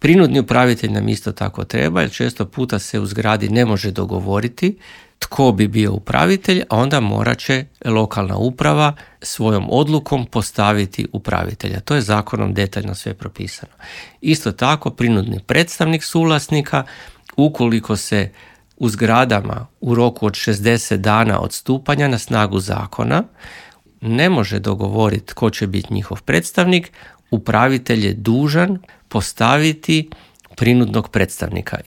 Prinudni upravitelj nam isto tako treba, jer često puta se u zgradi ne može dogovoriti tko bi bio upravitelj, a onda morat će lokalna uprava svojom odlukom postaviti upravitelja. To je zakonom detaljno sve propisano. Isto tako, prinudni predstavnik suvlasnika, ukoliko se u zgradama u roku od 60 dana od stupanja na snagu zakona ne može dogovoriti tko će biti njihov predstavnik, upravitelj je dužan postaviti prinudnog predstavnika